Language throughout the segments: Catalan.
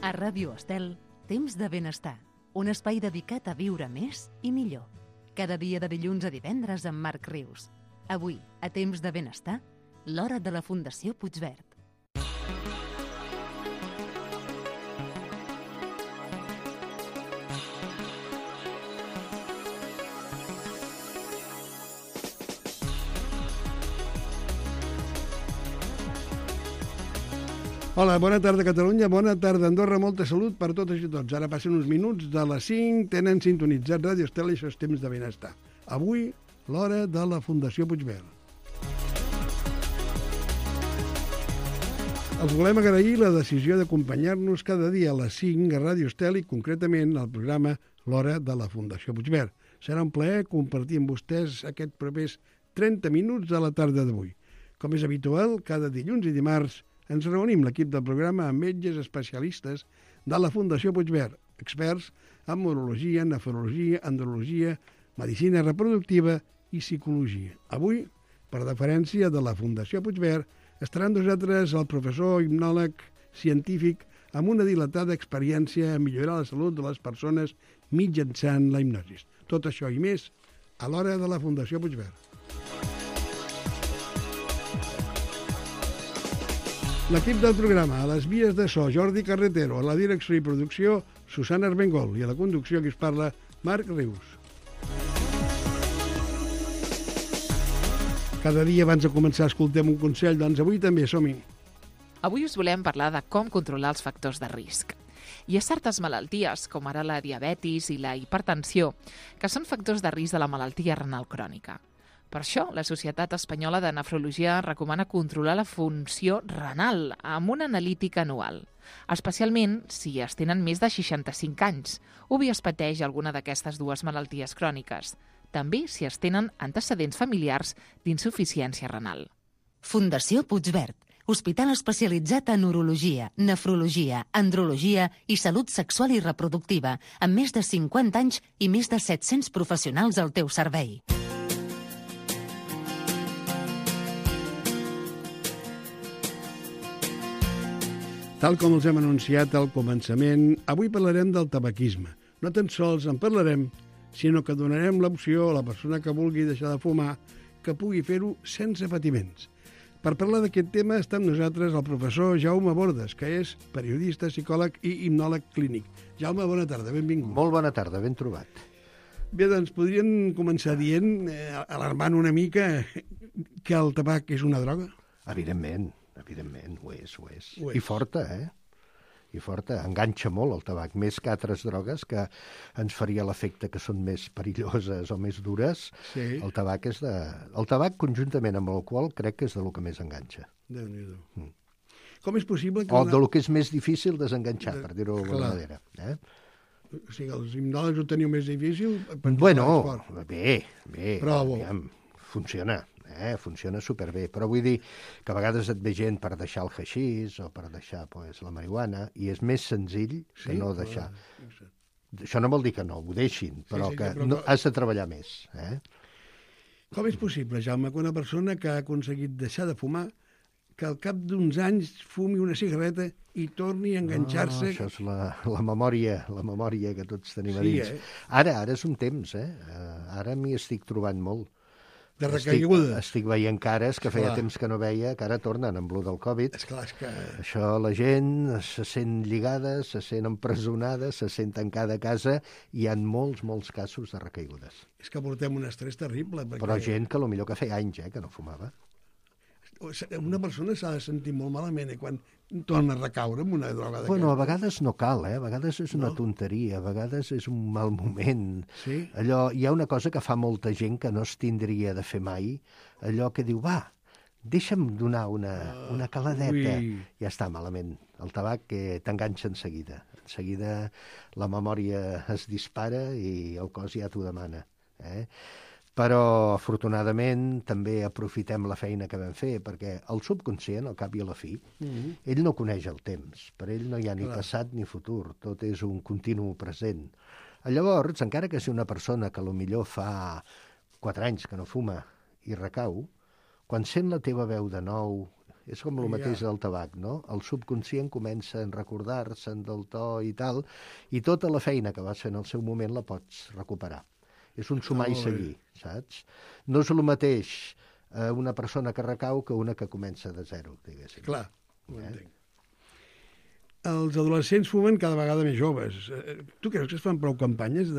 A Ràdio Estel, Temps de Benestar, un espai dedicat a viure més i millor. Cada dia de dilluns a divendres amb Marc Rius. Avui, a Temps de Benestar, l'hora de la Fundació Puigverd. Hola, bona tarda Catalunya, bona tarda Andorra, molta salut per totes i tots. Ara passen uns minuts de les 5, tenen sintonitzat Ràdio Estel i això és Temps de Benestar. Avui, l'hora de la Fundació Puigverd. Els volem agrair la decisió d'acompanyar-nos cada dia a les 5 a Ràdio Estel i concretament al programa L'hora de la Fundació Puigverd. Serà un plaer compartir amb vostès aquests propers 30 minuts de la tarda d'avui. Com és habitual, cada dilluns i dimarts ens reunim l'equip del programa amb metges especialistes de la Fundació Puigverd, experts en urologia, nefrologia, andrologia, medicina reproductiva i psicologia. Avui, per deferència de la Fundació Puigverd, estarà amb nosaltres el professor hipnòleg científic amb una dilatada experiència en millorar la salut de les persones mitjançant la hipnosi. Tot això i més a l'hora de la Fundació Puigverd. L'equip del programa, a les vies de so, Jordi Carretero, a la direcció i producció, Susana Armengol, i a la conducció que us parla, Marc Rius. Cada dia abans de començar escoltem un consell, doncs avui també som-hi. Avui us volem parlar de com controlar els factors de risc. Hi ha certes malalties, com ara la diabetis i la hipertensió, que són factors de risc de la malaltia renal crònica. Per això, la Societat Espanyola de Nefrologia recomana controlar la funció renal amb una analítica anual, especialment si es tenen més de 65 anys o bé es pateix alguna d'aquestes dues malalties cròniques, també si es tenen antecedents familiars d'insuficiència renal. Fundació Puigverd, hospital especialitzat en urologia, nefrologia, andrologia i salut sexual i reproductiva, amb més de 50 anys i més de 700 professionals al teu servei. Tal com els hem anunciat al començament, avui parlarem del tabaquisme. No tan sols en parlarem, sinó que donarem l'opció a la persona que vulgui deixar de fumar que pugui fer-ho sense patiments. Per parlar d'aquest tema està amb nosaltres el professor Jaume Bordes, que és periodista, psicòleg i hipnòleg clínic. Jaume, bona tarda, benvingut. Molt bona tarda, ben trobat. Bé, doncs podríem començar dient, alarmant una mica, que el tabac és una droga? Evidentment, ho és. I forta, I forta. Enganxa molt el tabac, més que altres drogues que ens faria l'efecte que són més perilloses o més dures. Sí. El tabac el tabac, conjuntament amb l'alcohol, crec que és de lo que més enganxa. Déu-n'hi-do. Com és possible que... O de lo que és més difícil desenganxar, per dir-ho d'alguna manera. O sigui, els hipnòlegs ho teniu més difícil? Bueno, bé. Però aviam, funciona superbé, però vull dir que a vegades et ve gent per deixar el haixís o per deixar la marihuana i és més senzill que no deixar. Això no vol dir que no ho deixin, però que has de treballar més. Com és possible, Jaume, que una persona que ha aconseguit deixar de fumar, que al cap d'uns anys fumi una cigarreta i torni a enganxar-se... Això és la memòria que tots tenim a dins. Ara és un temps, Ara m'hi estic trobant molt. De recaiguda. Estic veient cares que feia temps que no veia, que ara tornen amb lo del Covid. Esclar, és que... Això, la gent se sent lligada, se sent empresonada, se sent tancada a casa, i hi ha molts casos de recaigudes. És que portem un estrès terrible. Perquè... Però gent que potser que feia anys que no fumava. Una persona s'ha de sentir molt malament quan torna a recaure amb una droga d'aquesta. Bueno, a vegades no cal, A vegades és una tonteria, a vegades és un mal moment. Sí? Allò, hi ha una cosa que fa molta gent que no es tindria de fer mai, allò que diu, va, deixa'm donar una caladeta. Ja està, malament. El tabac t'enganxa en seguida. En seguida la memòria es dispara i el cos ja t'ho demana. Però, afortunadament, també aprofitem la feina que vam fer, perquè el subconscient, al cap i a la fi, ell no coneix el temps. Per ell no hi ha ni passat ni futur, tot és un continu present. Llavors, encara que sigui una persona que potser fa 4 anys que no fuma i recau, quan sent la teva veu de nou És com el mateix del tabac, no? El subconscient comença a recordar-se'n del to i tal, i tota la feina que vas fer en el seu moment la pots recuperar. És un sumar i seguir, saps? No és el mateix una persona que recau que una que comença de zero, diguéssim. Clar, ho entenc. Els adolescents fumen cada vegada més joves. Tu creus que es fan prou campanyes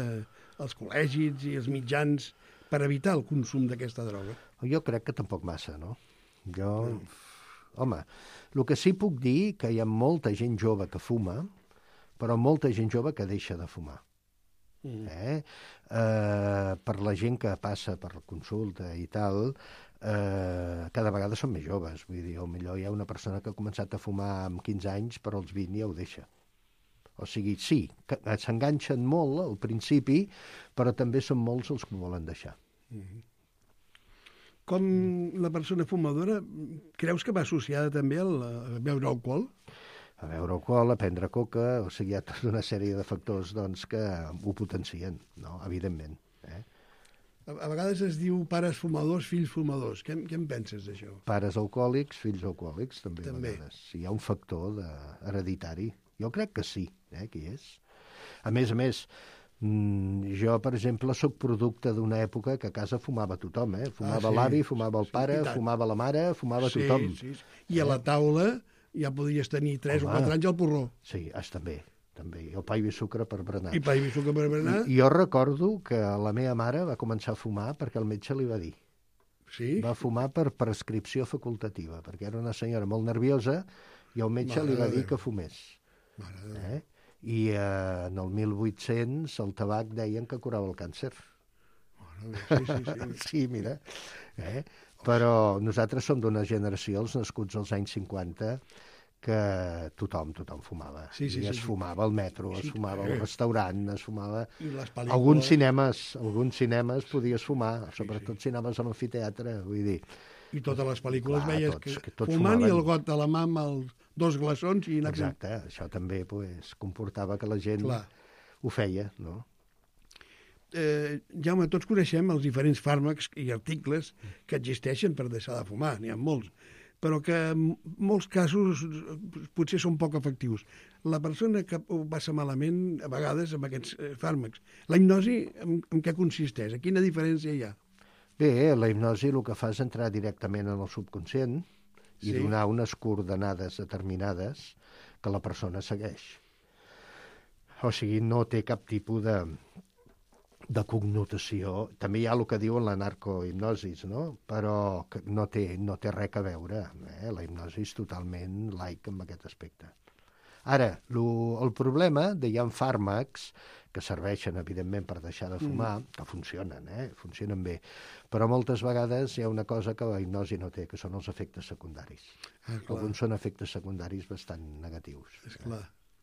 als col·legis i els mitjans per evitar el consum d'aquesta droga? Jo crec que tampoc massa, no? Home, el que sí puc dir que hi ha molta gent jove que fuma, però molta gent jove que deixa de fumar. Per la gent que passa per la consulta i tal, cada vegada són més joves. Vull dir, potser hi ha una persona que ha començat a fumar amb 15 anys, però als 20 ja ho deixa. O sigui, sí, s'enganxen molt al principi, però també són molts els que ho volen deixar. Com la persona fumadora, creus que va associada també a beure alcohol? A beure alcohol, a prendre coca, o sigui, hi ha tota una sèrie de factors doncs, que ho potencien, no? Evidentment. A vegades es diu pares fumadors, fills fumadors. Què en penses d'això? Pares alcohòlics, fills alcohòlics, també. A vegades. Hi ha un factor hereditari. Jo crec que sí, que hi és. A més, jo, per exemple, sóc producte d'una època que a casa fumava tothom, Fumava l'avi, fumava el pare, fumava la mare, fumava tothom. Sí. I a la taula ja podries tenir 3 o 4 anys al porró. Sí, també. I el pa i sucre per berenar. I pa i sucre per berenar. I jo recordo que la meva mare va començar a fumar perquè el metge li va dir. Sí? Va fumar per prescripció facultativa, perquè era una senyora molt nerviosa i el metge li va dir que fumés. I en el 1800 el tabac deien que curava el càncer. Sí, mira. Però nosaltres som d'una generació, els nascuts als anys 50, que tothom fumava. Es fumava al metro, es fumava al restaurant, es fumava... Alguns cinemes podies fumar, sobretot si anaves a l'amfiteatre, vull dir. I totes les pel·lícules veies que fumant i el got a la mà amb els 2 glaçons i... Exacte, això també comportava que la gent ho feia, no? Jaume, tots coneixem els diferents fàrmacs i articles que existeixen per deixar de fumar, n'hi ha molts, però que en molts casos potser són poc efectius. La persona que ho passa malament, a vegades, amb aquests fàrmacs. La hipnosi, en què consisteix? A quina diferència hi ha? Bé, la hipnosi el que fa és entrar directament en el subconscient i donar unes coordenades determinades que la persona segueix. O sigui, no té cap tipus de connotació. També hi ha el que diuen la narcohipnosis, no? Però no té res a veure. La hipnosi és totalment laic en aquest aspecte. Ara, el problema de hi ha fàrmacs que serveixen, evidentment, per deixar de fumar, que funcionen bé, però moltes vegades hi ha una cosa que la hipnosi no té, que són els efectes secundaris. Alguns són efectes secundaris bastant negatius. És clar,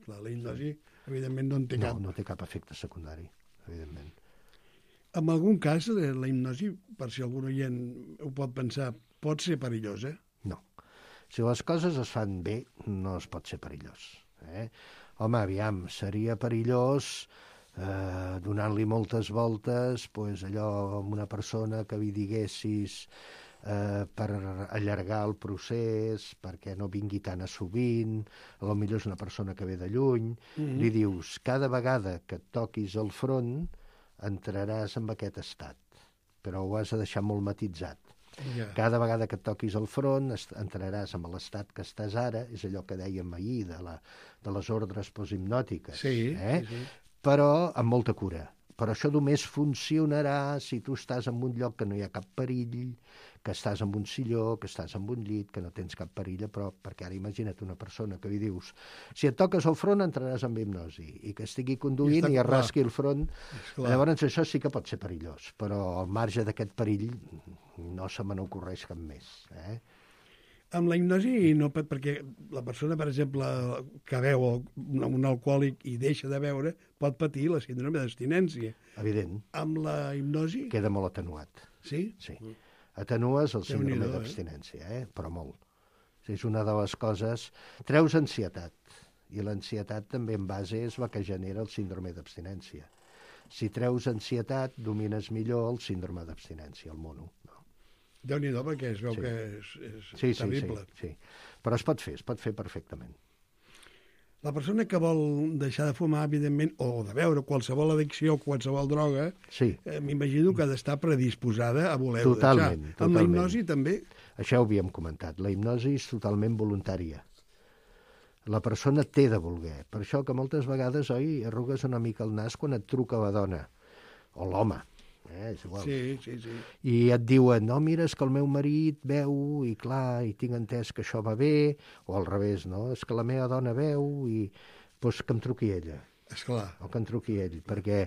la hipnosi, evidentment, no en té cap. No té cap efecte secundari, evidentment. En algun cas, la hipnosi, per si algun oient ho pot pensar, pot ser perillosa? No. Si les coses es fan bé, no es pot ser perillós. Home, aviam, seria perillós donant-li moltes voltes, allò amb una persona que li diguessis per allargar el procés, perquè no vingui tan a sovint, potser és una persona que ve de lluny, li dius, cada vegada que et toquis el front, entraràs en aquest estat, però ho has de deixar molt matitzat. Cada vegada que et toquis el front entraràs en l'estat que estàs ara, és allò que dèiem ahir de les ordres posthipnòtiques, però amb molta cura. Però això només funcionarà si tu estàs en un lloc que no hi ha cap perill, que estàs en un silló, que estàs en un llit, que no tens cap perill a prop, perquè ara imagina't una persona que li dius si et toques el front entraràs en hipnosi, i que estigui conduint i es rasqui el front. Llavors això sí que pot ser perillós, però al marge d'aquest perill no se me n'ocorreix cap més. Amb la hipnosi no pot, perquè la persona, per exemple, que veu un alcohòlic i deixa de beure, pot patir la síndrome d'abstinència. Evident. Amb la hipnosi... Queda molt atenuat. Sí? Sí. Atenues el síndrome d'abstinència, però molt. És una de les coses... Treus ansietat, i l'ansietat també en base és la que genera el síndrome d'abstinència. Si treus ansietat, domines millor el síndrome d'abstinència, el mono. No? Déu-n'hi-do, perquè es veu que és terrible. Sí. Però es pot fer perfectament. La persona que vol deixar de fumar, evidentment, o de beure qualsevol addicció, qualsevol droga, m'imagino que ha d'estar predisposada a voler-ho deixar. Amb la hipnosi també? Això ho havíem comentat. La hipnosi és totalment voluntària. La persona té de voler. Per això que moltes vegades, arrugues una mica el nas quan et truca la dona, o l'home. És igual. Sí. I et diuen, no, mira, és que el meu marit beu i clar, i tinc entès que això va bé, o al revés, no? És que la meva dona beu i doncs que em truqui ella. Esclar. O que em truqui ell, perquè,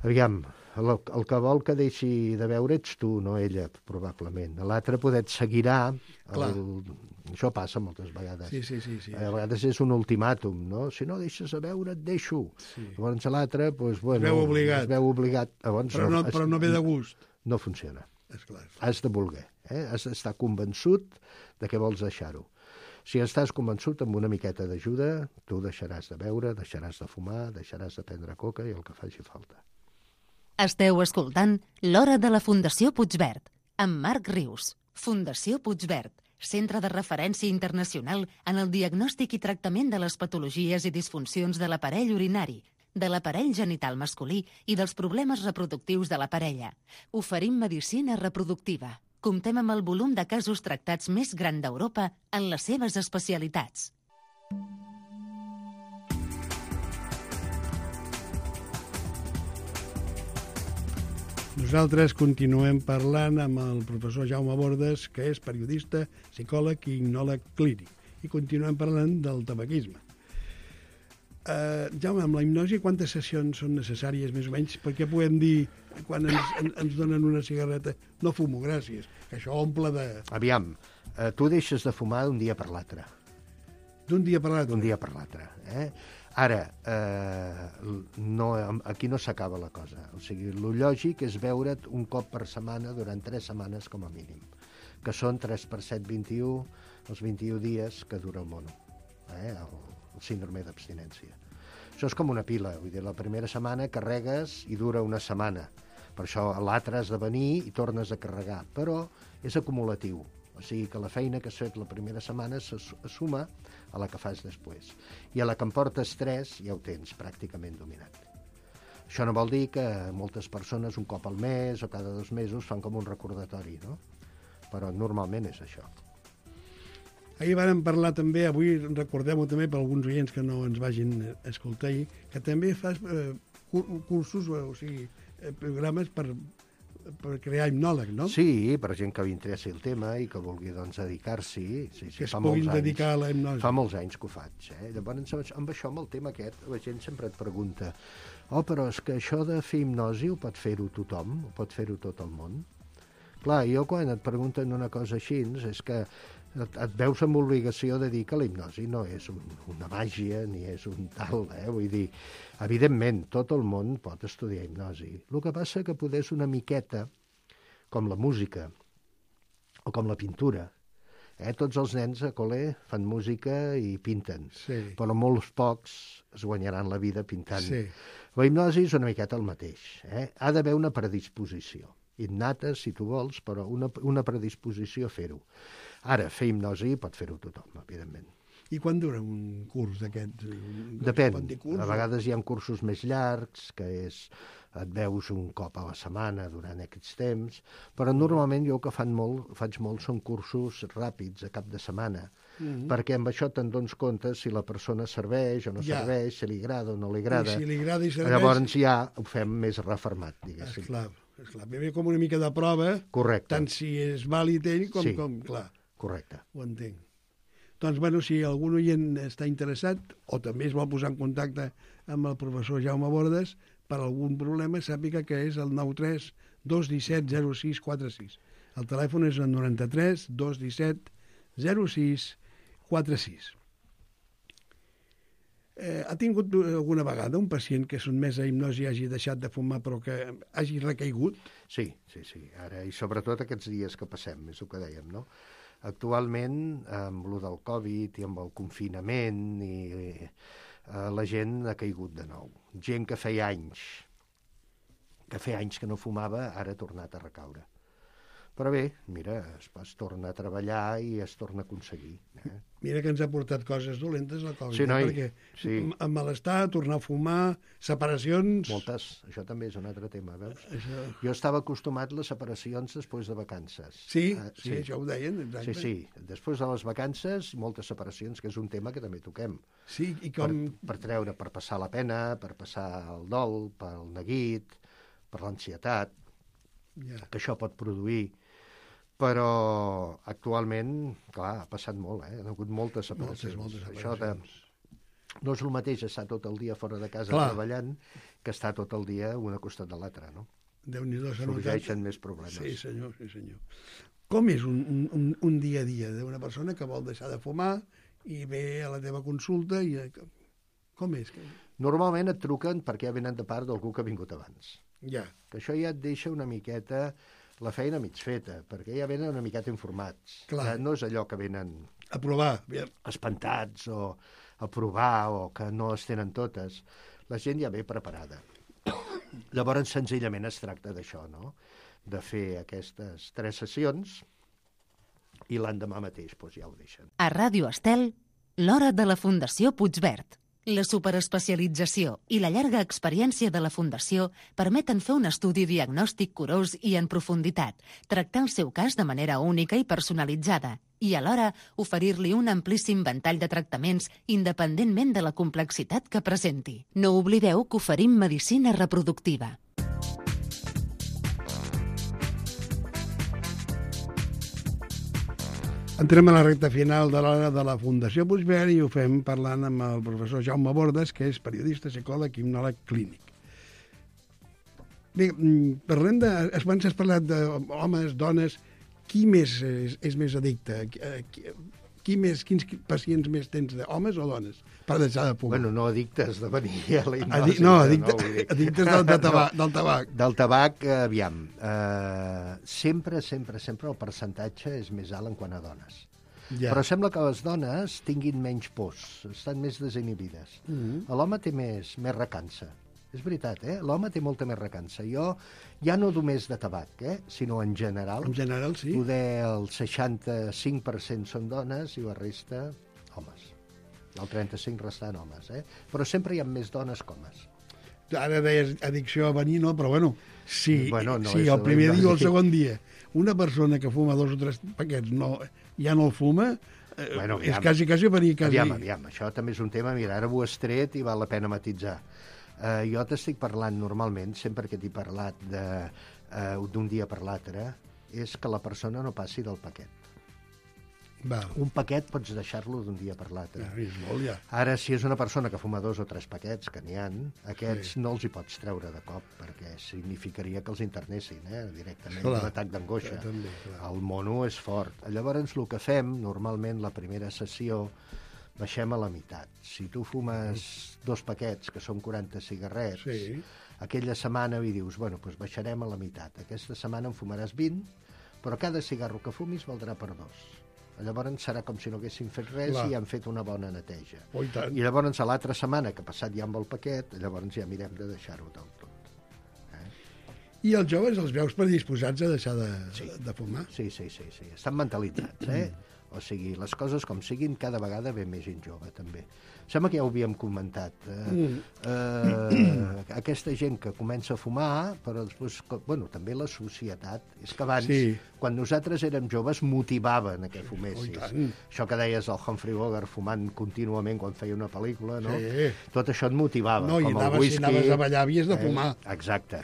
aviam, el que vol que deixi de beure ets tu, no ella, probablement. L'altre poder et seguirà. Això passa moltes vegades. Sí. A vegades és un ultimàtum, no? Si no deixes de beure, et deixo. Sí. Llavors l'altre, doncs, bueno... Es veu obligat. Llavors, però no ve de gust. No funciona. Esclar. Has de voler. Has d'estar convençut de que vols deixar-ho. Si estàs convençut amb una miqueta d'ajuda, tu deixaràs de beure, deixaràs de fumar, deixaràs de prendre coca i el que faci falta. Esteu escoltant l'Hora de la Fundació Puigverd, amb Marc Rius. Fundació Puigverd, centre de referència internacional en el diagnòstic i tractament de les patologies i disfuncions de l'aparell urinari, de l'aparell genital masculí i dels problemes reproductius de la parella. Oferim medicina reproductiva. Comptem amb el volum de casos tractats més gran d'Europa en les seves especialitats. Nosaltres continuem parlant amb el professor Jaume Bordes, que és periodista, psicòleg i hipnòleg clínic. I continuem parlant del tabaquisme. Jaume, amb la hipnosi, quantes sessions són necessàries, més o menys? Perquè podem dir, quan ens donen una cigarreta, no fumo, gràcies, que això omple de... Aviam, tu deixes de fumar d'un dia per l'altre. D'un dia per l'altre? D'un dia per l'altre, Ara, aquí no s'acaba la cosa. O sigui, el lògic és veure't un cop per setmana durant 3 setmanes com a mínim, que són 3 per 7, 21, els 21 dies que dura el mono, el síndrome d'abstinència. Això és com una pila, vull dir, la primera setmana carregues i dura una setmana. Per això l'altre has de venir i tornes a carregar, però és acumulatiu. O sigui que la feina que has fet la primera setmana se suma a la que fas després. I a la que em portes 3 ja ho tens pràcticament dominat. Això no vol dir que moltes persones un cop al mes o cada 2 mesos fan com un recordatori, no? Però normalment és això. Ahir vàrem parlar també, avui recordem-ho també per alguns oients que no ens vagin a escoltar ahir, que també fas cursos, o sigui, programes per crear hipnòleg, no? Sí, per gent que li interessi el tema i que vulgui doncs, dedicar-s'hi. Sí, que es puguin dedicar a la hipnosi. Fa molts anys que ho faig. Llavors, amb això, amb el tema aquest, la gent sempre et pregunta però és que això de fer hipnosi ho pot fer-ho tothom? Ho pot fer-ho tot el món? Clar, jo quan et pregunten una cosa així, és que et veus amb obligació de dir que la hipnosi no és una màgia ni és un tal, vull dir, evidentment, tot el món pot estudiar hipnosi. El que passa que poder és una miqueta com la música o com la pintura. Tots els nens a col·le fan música i pinten, però molts pocs es guanyaran la vida pintant. La hipnosi és una miqueta el mateix. Ha d'haver una predisposició innata, si tu vols, però una predisposició a fer-ho. Ara, fer hipnosi pot fer-ho tothom, evidentment. I quan dura un curs d'aquests? Depèn. A vegades hi ha cursos més llargs, que et veus un cop a la setmana durant aquests temps, però normalment jo el que faig molt són cursos ràpids, a cap de setmana, perquè amb això te'n dones compte si la persona serveix o no serveix, si li agrada o no li agrada. I si li agrada i serveix... Llavors ja ho fem més reformat, diguéssim. Esclar. Ve com una mica de prova, correcte, tant si és vàlid ell com clar. Correcte. Ho entenc. Doncs, bueno, si algun oient està interessat o també es vol posar en contacte amb el professor Jaume Bordes per algun problema, sàpiga que és el 93 217 0646. El telèfon és el 93 217 0646. Ha tingut alguna vegada un pacient que sotmès a hipnosi hagi deixat de fumar però que hagi recaigut? Sí. Ara, i sobretot aquests dies que passem, és el que dèiem, no? Actualment, amb el del Covid i amb el confinament, la gent ha caigut de nou. Gent que feia anys que no fumava, ara ha tornat a recaure. Però bé, mira, es torna a treballar i es torna a aconseguir. Mira que ens ha portat coses dolentes la Covid, Sí, noi, perquè sí. amb malestar, tornar a fumar, separacions... Moltes, això també és un altre tema, veus? Això... Jo estava acostumat a les separacions després de vacances. Sí, això ho deien, exacte. Sí, després de les vacances, moltes separacions, que és un tema que també toquem. Sí, i com... Per treure, per passar la pena, per passar el dol, pel neguit, per l'ansietat, que això pot produir. Però actualment, clar, ha passat molt, ha hagut moltes separacions. Moltes Això no és el mateix estar tot el dia fora de casa treballant que estar tot el dia un al costat de l'altre, no? Déu-n'hi-do, sorgeixen més problemes. Sí, senyor, sí, senyor. Com és un dia a dia d'una persona que vol deixar de fumar i ve a la teva consulta i... Com és? Normalment et truquen perquè ja venen de part d'algú que ha vingut abans. Ja. Que això ja et deixa una miqueta la feina mig feta, perquè ja venen una miqueta informats. Clar. No és allò que venen a provar, espantats o a provar o que no es tenen totes. La gent ja ve preparada. Llavors, senzillament es tracta d'això, no? De fer aquestes 3 sessions i l'endemà mateix doncs, ja ho deixen. A Ràdio Estel, l'hora de la Fundació Puigverd. La superespecialització i la llarga experiència de la Fundació permeten fer un estudi diagnòstic curós i en profunditat, tractar el seu cas de manera única i personalitzada i, alhora, oferir-li un amplíssim ventall de tractaments independentment de la complexitat que presenti. No oblideu que oferim medicina reproductiva. Entrem a la recta final de l'hora de la Fundació Puigverd i ho fem parlant amb el professor Jaume Bordes, que és periodista, psicòleg i hipnòleg clínic. Bé, parlem de... Abans has parlat d'homes, dones... Qui més és més addicte? Quins pacients més tens, d'homes o dones, per deixar de fumar? Bueno, no addictes de venir a la hipnosi. Addictes del tabac. Del tabac, aviam. Sempre el percentatge és més alt en quant a dones. Ja. Però sembla que les dones tinguin menys pors, estan més desinhibides. L'home té més recança. És veritat, l'home té molta més recança. Jo, ja no només de tabac, sinó en general. En general, sí. Poder el 65% són dones i la resta, homes. El 35% restant homes, Però sempre hi ha més dones que homes. Ara deies addicció a venir, no? Però bueno, sí, el primer dia o el segon dia una persona que fuma 2 o 3 paquets ja no el fuma, és quasi venir quasi... Aviam, això també és un tema, mira, ara ho has tret i val la pena matitzar. Jo t'estic parlant normalment, sempre que t'he parlat d'un dia per l'altre, és que la persona no passi del paquet. Val. Un paquet pots deixar-lo d'un dia per l'altre. És molt, ja. Ara, si és una persona que fuma 2 o 3 paquets, que n'hi ha, aquests no els hi pots treure de cop, perquè significaria que els internessin, directament, un atac d'angoixa. El mono és fort. Llavors, el que fem, normalment, la primera sessió, baixem a la meitat. Si tu fumes 2 paquets, que són 40 cigarrets, aquella setmana hi dius, bueno, doncs baixarem a la meitat. Aquesta setmana en fumaràs 20, però cada cigarro que fumis valdrà per 2. Llavors serà com si no haguessin fet res i han fet una bona neteja. I llavors a l'altra setmana, que ha passat ja amb el paquet, llavors ja mirem de deixar-ho del tot. I els joves els veus predisposats a deixar de fumar? Sí. Estan mentalitzats, O sigui, les coses com siguin, cada vegada ve més gent jove, també. Sembla que ja ho havíem comentat. Aquesta gent que comença a fumar, però després, bueno, també la societat. És que abans, quan nosaltres érem joves, motivaven a que fumessis. Això que deies el Humphrey Bogart fumant contínuament quan feia una pel·lícula, no? Tot això et motivava. No, i si anaves a ballar havies de fumar. Exacte.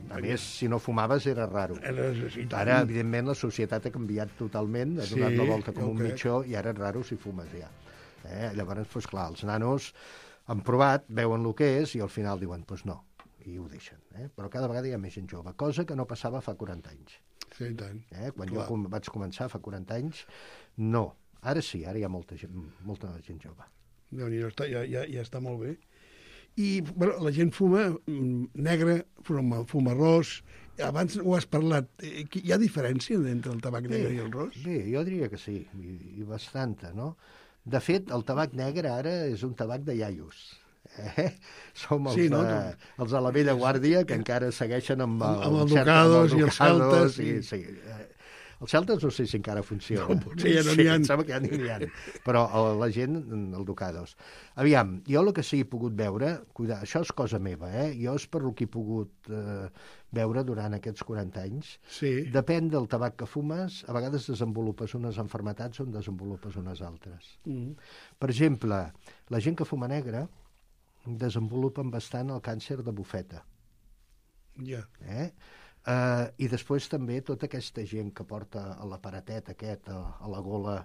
A més, si no fumaves era raro. Ara, evidentment, la societat ha canviat totalment, ha donat la volta com un mitjó, i ara és raro si fumes ja. Llavors, doncs clar, els nanos han provat, veuen el que és i al final diuen, doncs no, i ho deixen. Però cada vegada hi ha més gent jove, cosa que no passava fa 40 anys. Sí, tant. Quan jo vaig començar fa 40 anys, no. Ara sí, ara hi ha molta gent jove. Déu-n'hi-do, ja està molt bé. I la gent fuma negre, fuma ros. Abans ho has parlat. Hi ha diferència entre el tabac negre i el ros? Bé, jo diria que sí, i bastanta, no? De fet, el tabac negre ara és un tabac de iaios. Som els de la vella guàrdia que encara segueixen amb el Ducados i els Celtes. Els celtes no sé si encara funciona. No, potser ja no n'hi ha. Em sembla que ja n'hi ha. Però la gent, el Ducados. Aviam, jo el que sí he pogut veure, cuidar, això és cosa meva, jo és per el que he pogut veure durant aquests 40 anys. Sí. Depèn del tabac que fumes, a vegades desenvolupes unes malalties o en desenvolupes unes altres. Per exemple, la gent que fuma negre desenvolupen bastant el càncer de bufeta. Ja. I després també tota aquesta gent que porta l'aparatet aquest a la gola,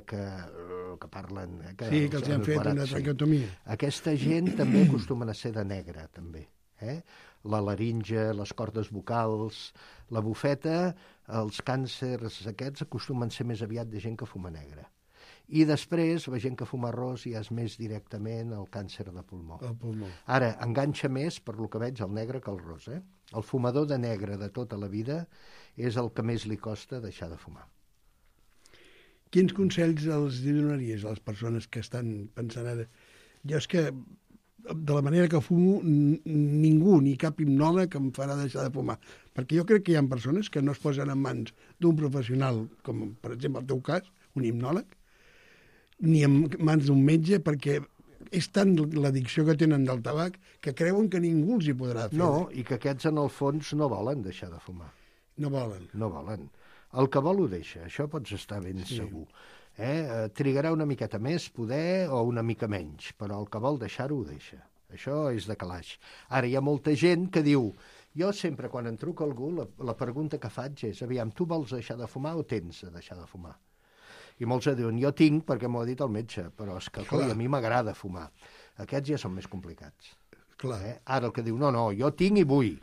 que parlen... Sí, que els han fet una traqueotomia. Aquesta gent també acostumen a ser de negre, també. La laringe, les cordes vocals, la bufeta, els càncers aquests acostumen a ser més aviat de gent que fuma negre. I després, la gent que fuma arròs ja és més directament el càncer de pulmó. El pulmó. Ara, enganxa més, per lo que veig, el negre que el ros. El fumador de negre de tota la vida és el que més li costa deixar de fumar. Quins consells els donaries a les persones que estan pensant ara? Jo és que, de la manera que fumo, ningú, ni cap hipnòleg em farà deixar de fumar. Perquè jo crec que hi ha persones que no es posen en mans d'un professional, com per exemple el teu cas, un hipnòleg, ni en mans d'un metge, perquè és tant l'addicció que tenen del tabac que creuen que ningú els hi podrà fer. No, i que aquests en el fons no volen deixar de fumar. No volen. No volen. El que vol ho deixa, això pots estar ben segur. Trigarà una miqueta més, poder, o una mica menys, però el que vol deixar-ho ho deixa. Això és de calaix. Ara, hi ha molta gent que diu, jo sempre quan em truca algú, la pregunta que faig és, aviam, tu vols deixar de fumar o tens de deixar de fumar? I molts diuen, jo tinc perquè m'ho ha dit el metge, però és que a mi m'agrada fumar. Aquests ja són més complicats. Clar. Ara el que diu, no, jo tinc i vull.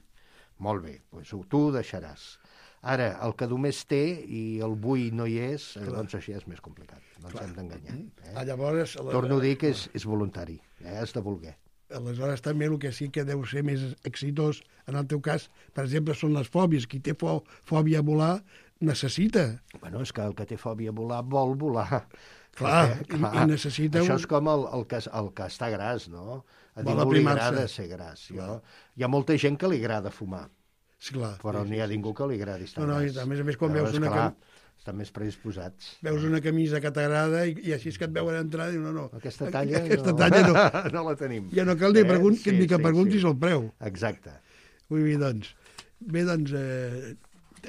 Molt bé, doncs tu ho deixaràs. Ara, el que només té i el vull no hi és, doncs això ja és més complicat. No ens hem d'enganyar. Llavors, torno a dir que és voluntari, has de voler. Aleshores, també el que sí que deu ser més exitós, en el teu cas, per exemple, són les fòbies. Qui té fòbia a volar necessita. Bueno, és que el que té fòbia a volar vol volar. Clar, i necessita... Això és com el que està gras, no? A ningú li agrada ser gras. Hi ha molta gent que li agrada fumar, però no hi ha ningú que li agradi estar gras. A més, quan veus una... Estan més predisposats. Veus una camisa que t'agrada i així és que et veuen entrar i dius, no. Aquesta talla no. No la tenim. Ja no cal ni que preguntis el preu. Exacte. Ui, doncs. Bé, doncs,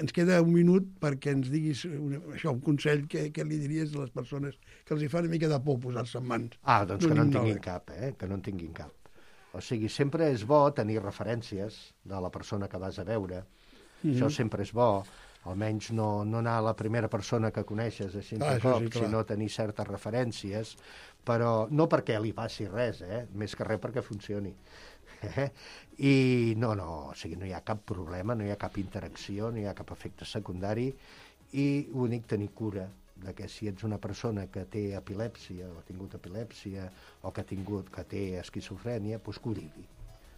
ens queda un minut perquè ens diguis un consell que li diries a les persones que els hi fa una mica de por posar-se en mans. Doncs que no en tinguin cap, que no en tinguin cap. O sigui, sempre és bo tenir referències de la persona que vas a veure. Això sempre és bo. Almenys no anar a la primera persona que coneixes així de cop, sinó tenir certes referències, però no perquè li passi res, més que res perquè funcioni. I no, o sigui, no hi ha cap problema, no hi ha cap interacció, no hi ha cap efecte secundari, i l'únic tenir cura de que si ets una persona que té epilèpsia, o ha tingut epilèpsia, o que té esquizofrènia, doncs que ho digui.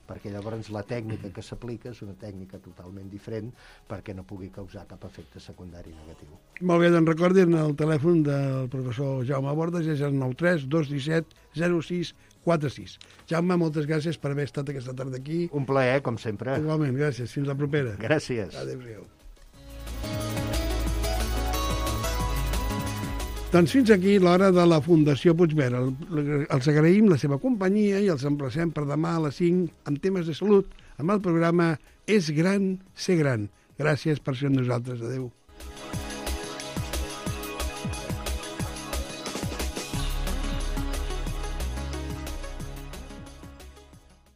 Perquè llavors la tècnica que s'aplica és una tècnica totalment diferent perquè no pugui causar cap efecte secundari negatiu. Molt bé, doncs recordin el telèfon del professor Jaume Bordes, és el 93 217 0646. Jaume, moltes gràcies per haver estat aquesta tarda aquí. Un plaer, com sempre. Igualment, gràcies. Fins la propera. Gràcies. Adéu-siau. Doncs fins aquí l'hora de la Fundació Puigverd. Els agraïm la seva companyia i els emplacem per demà a les 5 amb temes de salut amb el programa És gran, ser gran. Gràcies per ser amb nosaltres. Adéu.